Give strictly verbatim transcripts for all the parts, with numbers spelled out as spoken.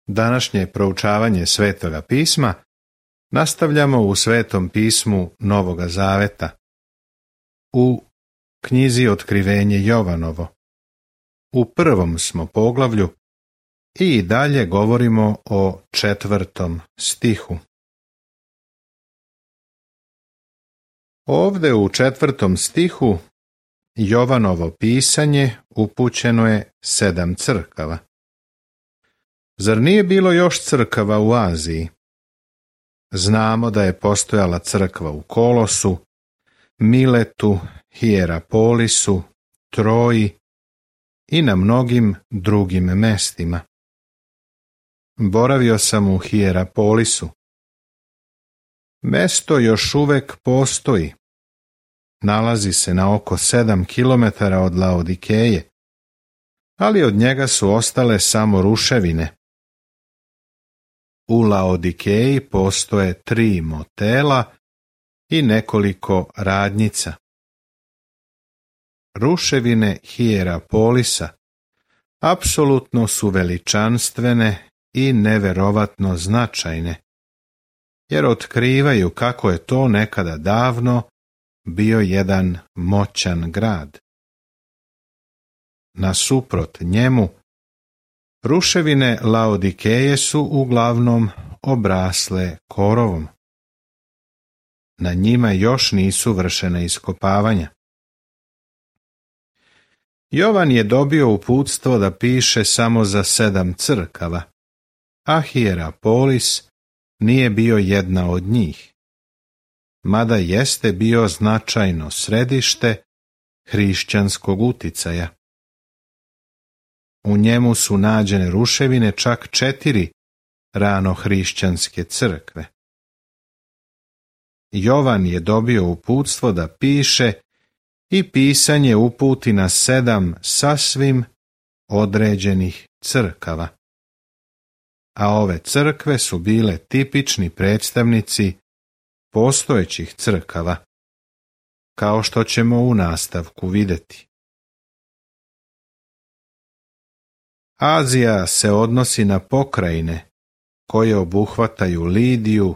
Današnje proučavanje Svetoga pisma nastavljamo u Svetom pismu Novoga Zaveta, u knjizi Otkrivenje Jovanovo. U prvom smo poglavlju i dalje govorimo o četvrtom stihu. Ovde u četvrtom stihu Jovanovo pisanje upućeno je sedam crkava. Zar nije bilo još crkava u Aziji? Znamo da je postojala crkva u Kolosu, Miletu, Hijerapolisu, Troji i na mnogim drugim mestima. Boravio sam u Hijerapolisu. Mesto još uvek postoji. Nalazi se na oko sedam kilometara od Laodikeje, ali od njega su ostale samo ruševine. U Laodikeji postoje tri motela i nekoliko radnjica. Ruševine Hijerapolisa apsolutno su veličanstvene i neverovatno značajne, jer otkrivaju kako je to nekada davno bio jedan moćan grad. Nasuprot njemu, ruševine Laodikeje su uglavnom obrasle korovom. Na njima još nisu vršena iskopavanja. Jovan je dobio uputstvo da piše samo za sedam crkava, a Hijerapolis nije bio jedna od njih, mada jeste bio značajno središte hrišćanskog uticaja. U njemu su nađene ruševine čak četiri ranohrišćanske crkve. Jovan je dobio uputstvo da piše i pisanje uputi na sedam sasvim određenih crkava. A ove crkve su bile tipični predstavnici postojećih crkava, kao što ćemo u nastavku vidjeti. Azija se odnosi na pokrajine koje obuhvataju Lidiju,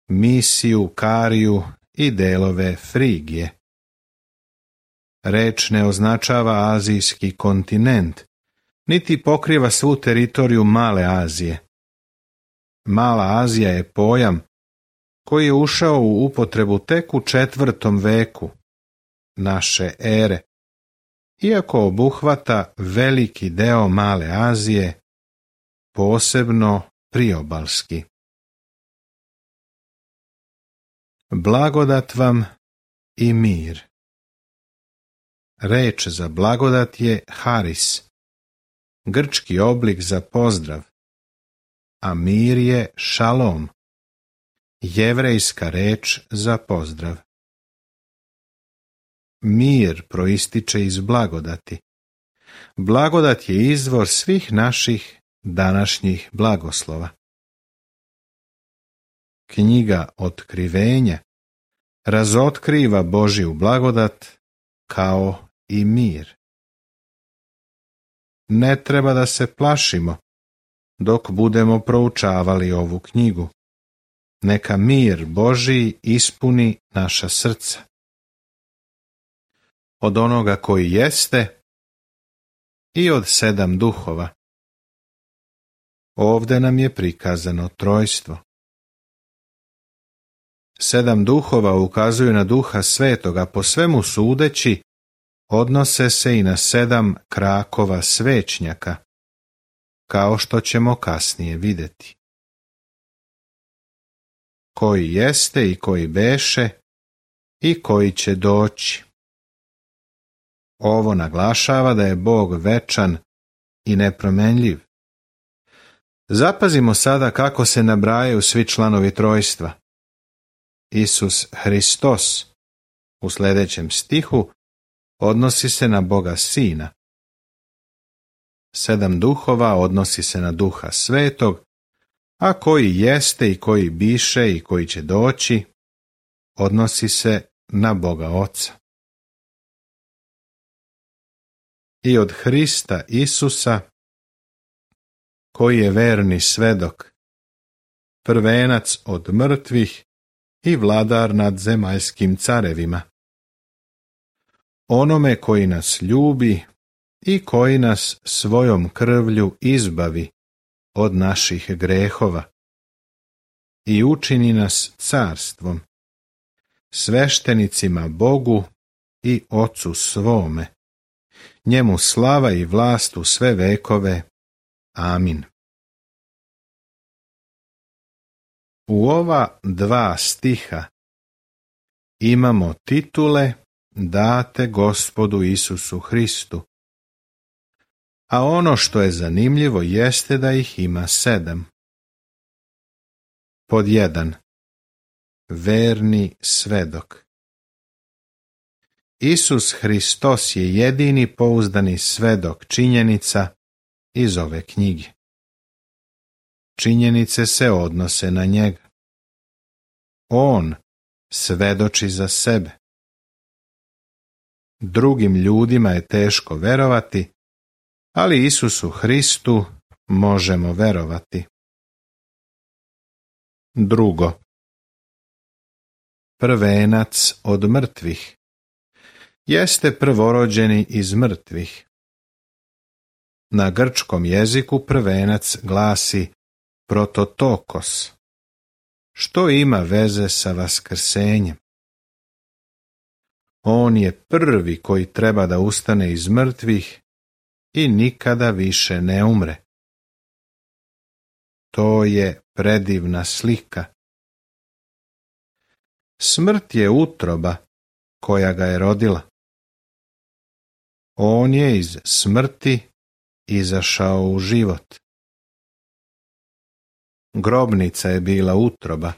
Misiju, Kariju i delove Frigije. Reč ne označava azijski kontinent, niti pokriva svu teritoriju Male Azije. Mala Azija je pojam koji je ušao u upotrebu tek u četvrtom veku naše ere, iako obuhvata veliki deo Male Azije, posebno priobalski. Blagodat vam i mir. Reč za blagodat je haris, grčki oblik za pozdrav, a mir je šalom, jevrejska reč za pozdrav. Mir proističe iz blagodati. Blagodat je izvor svih naših današnjih blagoslova. Knjiga Otkrivenja razotkriva Božju blagodat kao i mir. Ne treba da se plašimo dok budemo proučavali ovu knjigu. Neka mir Božji ispuni naša srca. Od onoga koji jeste i od sedam duhova. Ovde nam je prikazano trojstvo. Sedam duhova ukazuju na Duha Svetoga, po svemu sudeći, odnose se i na sedam krakova svećnjaka, kao što ćemo kasnije vidjeti. Koji jeste i koji beše i koji će doći. Ovo naglašava da je Bog večan i nepromenljiv. Zapazimo sada kako se nabrajaju svi članovi trojstva. Isus Hristos u sljedećem stihu odnosi se na Boga Sina. Sedam duhova odnosi se na Duha Svetog, a koji jeste i koji biše i koji će doći odnosi se na Boga Oca. I od Hrista Isusa koji je verni svedok, prvenac od mrtvih i vladar nad zemaljskim carevima. Onome koji nas ljubi i koji nas svojom krvlju izbavi od naših grehova i učini nas carstvom, sveštenicima Bogu i Ocu svome. Njemu slava i vlast u sve vekove. Amin. U ova dva stiha imamo titule date Gospodu Isusu Hristu, a ono što je zanimljivo jeste da ih ima sedam. Pod jedan. Verni svedok. Isus Hristos je jedini pouzdani svedok činjenica iz ove knjige. Činjenice se odnose na njega. On svedoči za sebe. Drugim ljudima je teško verovati, ali Isusu Hristu možemo verovati. Drugo. Prvenac od mrtvih. Jeste prvorođeni iz mrtvih. Na grčkom jeziku prvenac glasi prototokos, što ima veze sa vaskrsenjem. On je prvi koji treba da ustane iz mrtvih i nikada više ne umre. To je predivna slika. Smrt je utroba koja ga je rodila. On je iz smrti izašao u život. Grobnica je bila utroba,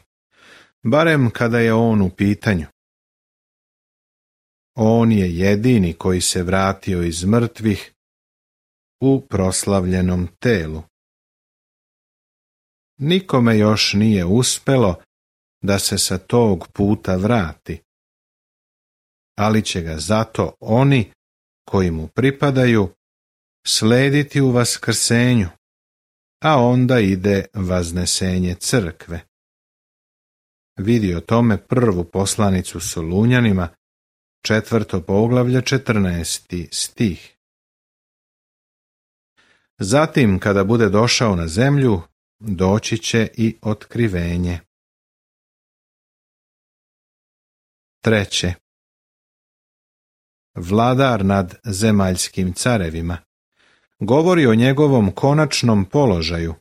barem kada je on u pitanju. On je jedini koji se vratio iz mrtvih u proslavljenom telu. Nikome još nije uspelo da se sa tog puta vrati, ali će ga zato oni koji mu pripadaju slediti u vaskrsenju, a onda ide vaznesenje crkve. Vidi o tome prvu poslanicu Solunjanima, četvrto poglavlje, četrnaesti stih. Zatim, kada bude došao na zemlju, doći će i otkrivenje. Treće. Vladar nad zemaljskim carevima. Govori o njegovom konačnom položaju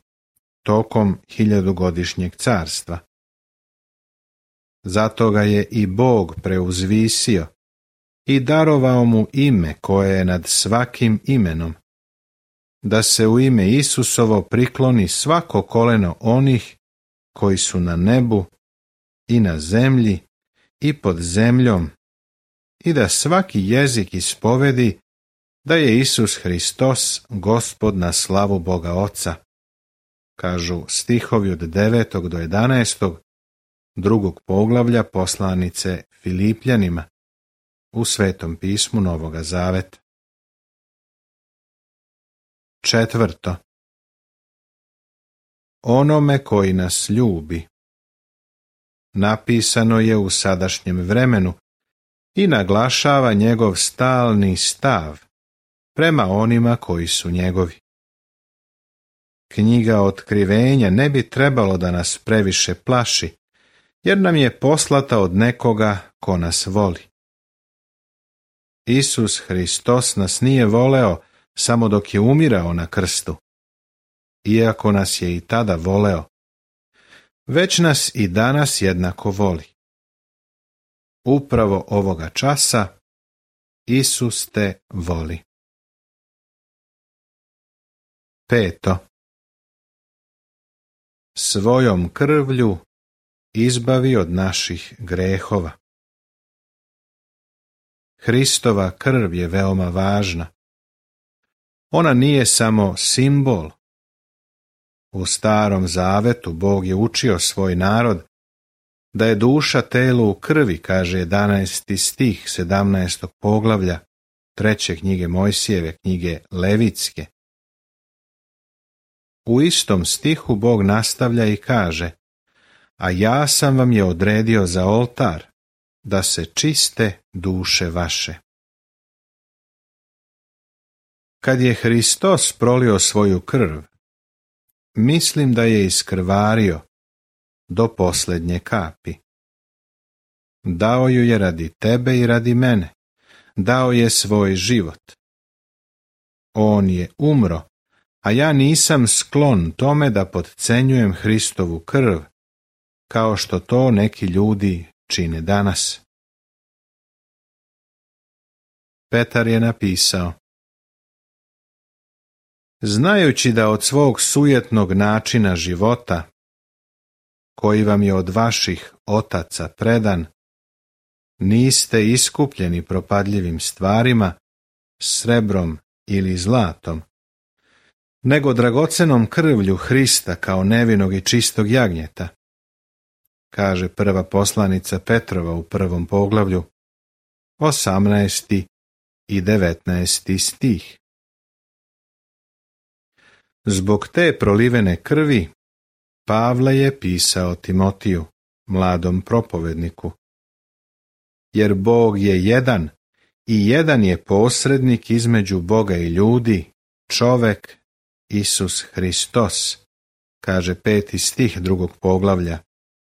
tokom hiljadugodišnjeg carstva. Zato ga je i Bog preuzvisio i darovao mu ime koje je nad svakim imenom, da se u ime Isusovo prikloni svako koleno onih koji su na nebu i na zemlji i pod zemljom, i da svaki jezik ispovedi da je Isus Hristos Gospod na slavu Boga Oca, kažu stihovi od devetog do jedanaestog drugog poglavlja poslanice Filipljanima u Svetom pismu Novoga Zaveta. Četvrto. Onome koji nas ljubi. Napisano je u sadašnjem vremenu i naglašava njegov stalni stav prema onima koji su njegovi. Knjiga Otkrivenja ne bi trebalo da nas previše plaši, jer nam je poslata od nekoga ko nas voli. Isus Hristos nas nije voleo samo dok je umirao na krstu, iako nas je i tada voleo, već nas i danas jednako voli. Upravo ovoga časa Isus te voli. Peto. Svojom krvlju izbavi od naših grehova. Hristova krv je veoma važna. Ona nije samo simbol. U Starom Zavetu Bog je učio svoj narod da je duša telu u krvi, kaže jedanaesti stih sedamnaestog poglavlja treće knjige Mojsijeve, knjige Levitske. u istom stihu Bog nastavlja i kaže: a ja sam vam je odredio za oltar, da se čiste duše vaše. Kad je Hristos prolio svoju krv, mislim da je iskrvario do posljednje kapi. Dao ju je radi tebe i radi mene, dao je svoj život. On je umro, a ja nisam sklon tome da podcenjujem Hristovu krv, kao što to neki ljudi čine danas. Petar je napisao: znajući da od svog sujetnog načina života, koji vam je od vaših otaca predan, niste iskupljeni propadljivim stvarima, srebrom ili zlatom, nego dragocenom krvlju Hrista kao nevinog i čistog jagnjeta, kaže prva poslanica Petrova u prvom poglavlju, osamnaesti i devetnaesti stih. Zbog te prolivene krvi Pavle je pisao Timotiju, mladom propovedniku: jer Bog je jedan i jedan je posrednik između Boga i ljudi, čovek Isus Hristos, kaže peti stih drugog poglavlja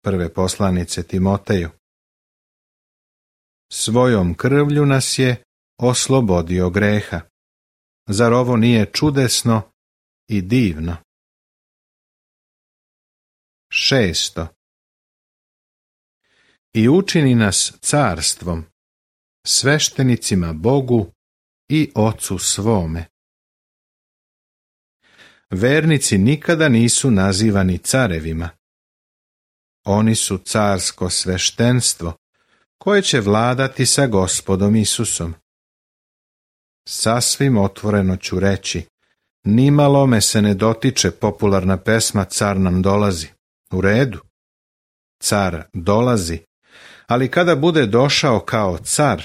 prve poslanice Timoteju. Svojom krvlju nas je oslobodio greha. Zar ovo nije čudesno i divno? Šesto. I učini nas carstvom, sveštenicima Bogu i Ocu svome. Vernici nikada nisu nazivani carevima. Oni su carsko sveštenstvo, koje će vladati sa Gospodom Isusom. Sasvim otvoreno ću reći, nimalo me se ne dotiče popularna pesma Car nam dolazi. U redu, car dolazi, ali kada bude došao kao car,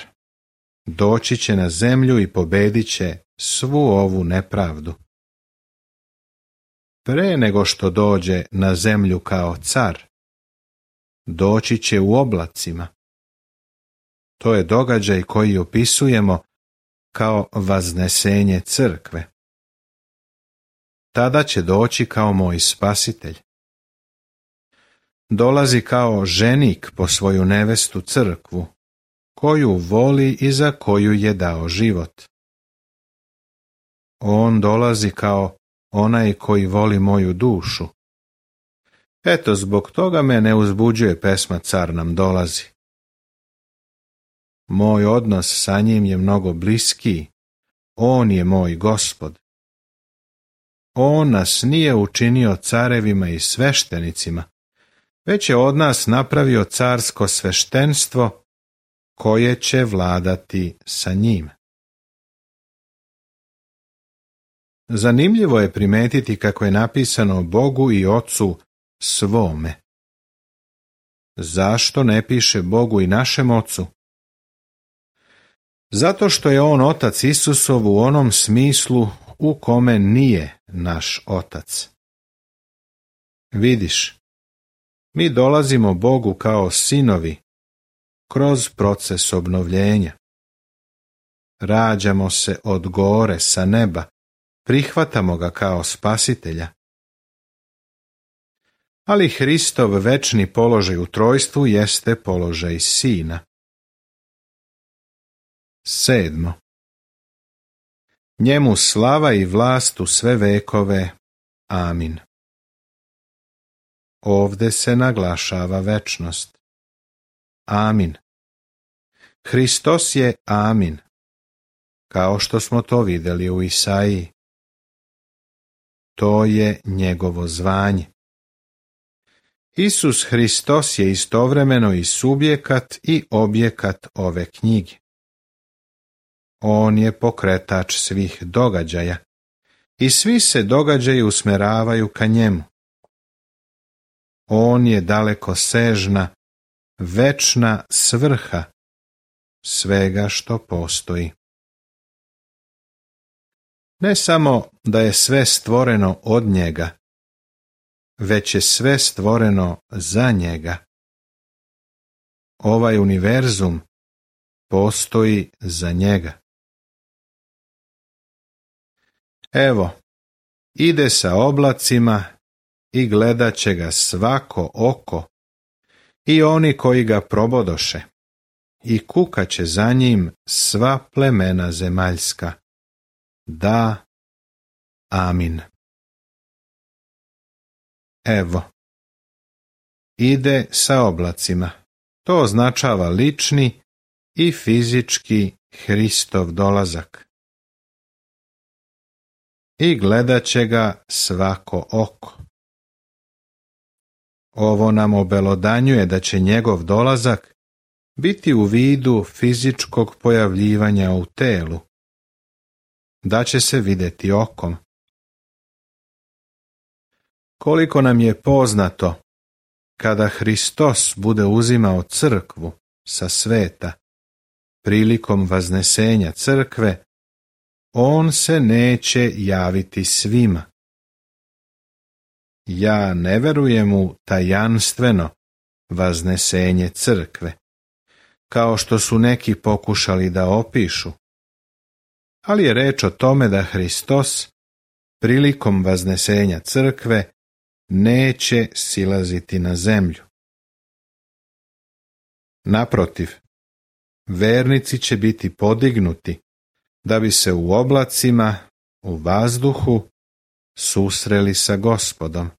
doći će na zemlju i pobedit će svu ovu nepravdu. Pre nego što dođe na zemlju kao car, doći će u oblacima. To je događaj koji opisujemo kao vaznesenje crkve. Tada će doći kao moj spasitelj. Dolazi kao ženik po svoju nevestu crkvu, koju voli i za koju je dao život. On dolazi kao onaj koji voli moju dušu. Eto, zbog toga me ne uzbuđuje pesma Car nam dolazi. Moj odnos sa njim je mnogo bliskiji. On je moj Gospod. On nas nije učinio carevima i sveštenicima, već je od nas napravio carsko sveštenstvo koje će vladati sa njim. Zanimljivo je primetiti kako je napisano Bogu i Ocu svome. Zašto ne piše Bogu i našem Ocu? Zato što je on Otac Isusov u onom smislu u kome nije naš Otac. Vidiš, mi dolazimo Bogu kao sinovi kroz proces obnovljenja. Rađamo se od gore sa neba, prihvatamo ga kao spasitelja. Ali Hristov večni položaj u trojstvu jeste položaj sina. Sedmo. Njemu slava i vlast u sve vekove. Amin. Ovde se naglašava večnost. Amin. Hristos je Amin, kao što smo to vidjeli u Isaiji. To je njegovo zvanje. Isus Hristos je istovremeno i subjekat i objekat ove knjige. On je pokretač svih događaja i svi se događaji usmeravaju ka njemu. On je dalekosežna, večna svrha svega što postoji. Ne samo da je sve stvoreno od njega, već je sve stvoreno za njega. Ovaj univerzum postoji za njega. Evo, ide sa oblacima i gledat će ga svako oko, i oni koji ga probodoše, i kukat će za njim sva plemena zemaljska. Da, amin. Evo, ide sa oblacima. To označava lični i fizički Hristov dolazak. I gledat će ga svako oko. Ovo nam obelodanjuje da će njegov dolazak biti u vidu fizičkog pojavljivanja u telu, da će se vidjeti okom. Koliko nam je poznato, kada Hristos bude uzimao crkvu sa sveta, prilikom vaznesenja crkve, on se neće javiti svima. Ja ne verujem u tajanstveno vaznesenje crkve, kao što su neki pokušali da opišu, ali je reč o tome da Hristos prilikom vaznesenja crkve neće silaziti na zemlju. Naprotiv, vernici će biti podignuti da bi se u oblacima, u vazduhu, susreli sa Gospodom.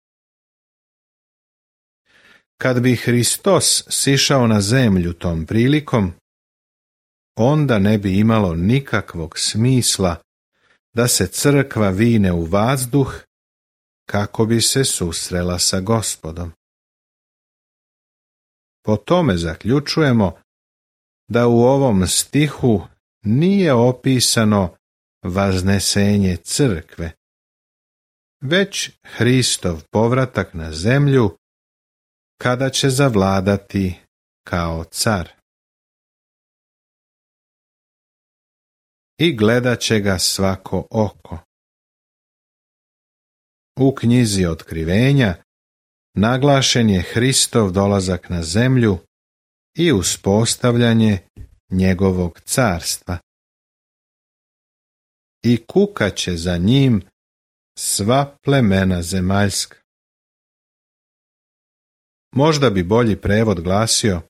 Kad bi Hristos sišao na zemlju tom prilikom, onda ne bi imalo nikakvog smisla da se crkva vine u vazduh kako bi se susrela sa Gospodom. Po tome zaključujemo da u ovom stihu nije opisano vaznesenje crkve, već Hristov povratak na zemlju kada će zavladati kao car. I gledat će ga svako oko. U knjizi Otkrivenja naglašen je Hristov dolazak na zemlju i uspostavljanje njegovog carstva. I kukat će za njim sva plemena zemaljska. Možda bi bolji prevod glasio: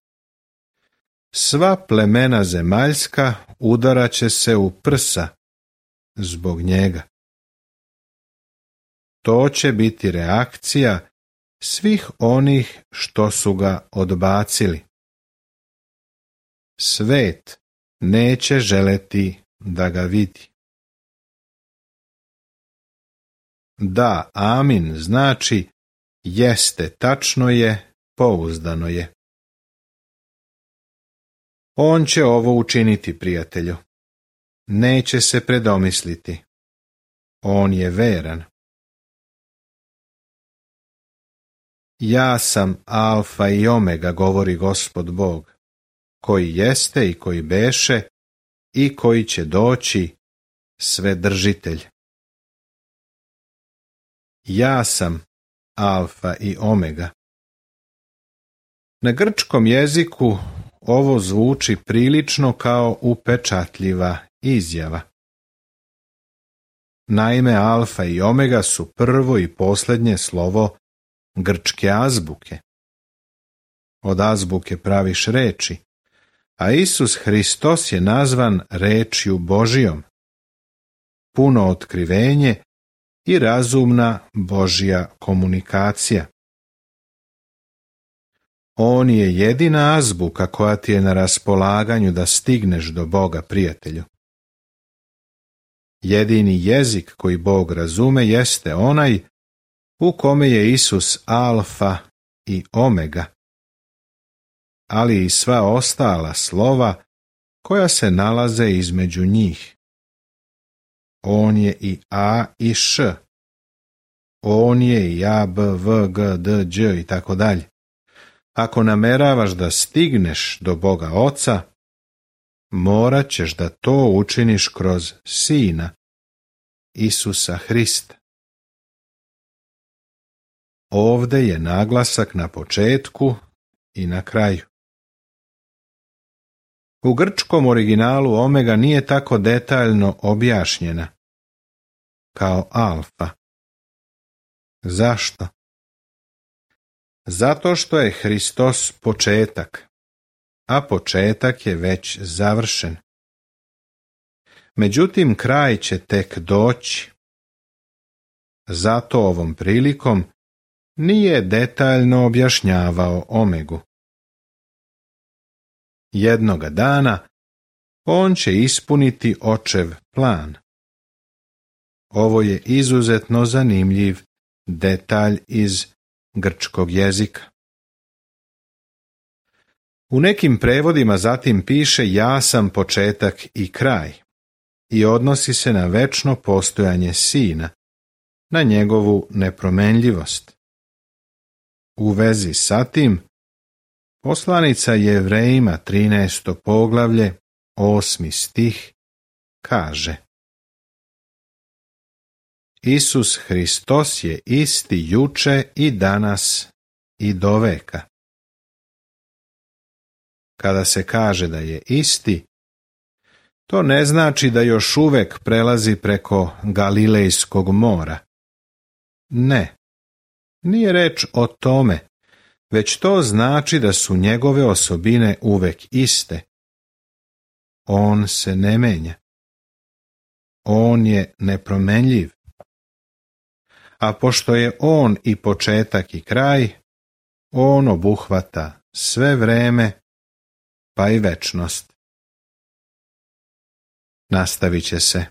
sva plemena zemaljska udarat će se u prsa zbog njega. To će biti reakcija svih onih što su ga odbacili. Svet neće želeti da ga vidi. Da, amin znači jeste, tačno je, pouzdano je. On će ovo učiniti, prijatelju. Neće se predomisliti. On je veran. Ja sam alfa i omega, govori Gospod Bog, koji jeste i koji beše i koji će doći, Svedržitelj. Ja sam alfa i omega. Na grčkom jeziku ovo zvuči prilično kao upečatljiva izjava. Naime, alfa i omega su prvo i posljednje slovo grčke azbuke. Od azbuke praviš reči, a Isus Hristos je nazvan rečju Božijom. Puno otkrivenje i razumna Božja komunikacija. On je jedina azbuka koja ti je na raspolaganju da stigneš do Boga, prijatelju. Jedini jezik koji Bog razume jeste onaj u kome je Isus alfa i omega, ali i sva ostala slova koja se nalaze između njih. On je i A i Š. On je i A, B, V, G, D, Đ i tako dalje. Ako nameravaš da stigneš do Boga Oca, morat ćeš da to učiniš kroz Sina, Isusa Hrista. ovde je naglasak na početku i na kraju. U grčkom originalu omega nije tako detaljno objašnjena kao alfa. Zašto? Zato što je Hristos početak, a početak je već završen. Međutim, kraj će tek doći. Zato ovom prilikom nije detaljno objašnjavao omegu. Jednoga dana on će ispuniti očev plan. Ovo je izuzetno zanimljiv detalj iz grčkog jezika. U nekim prevodima zatim piše ja sam početak i kraj i odnosi se na večno postojanje Sina, na njegovu nepromenljivost. U vezi sa tim, poslanica Jevrejima trinaesto poglavlje, osmi stih, kaže: Isus Hristos je isti juče i danas i doveka. Kada se kaže da je isti, to ne znači da još uvek prelazi preko Galilejskog mora. Ne, nije reč o tome, već to znači da su njegove osobine uvek iste. On se ne menja. On je nepromenljiv. A pošto je on i početak i kraj, on obuhvata sve vreme, pa i večnost. Nastavit će se.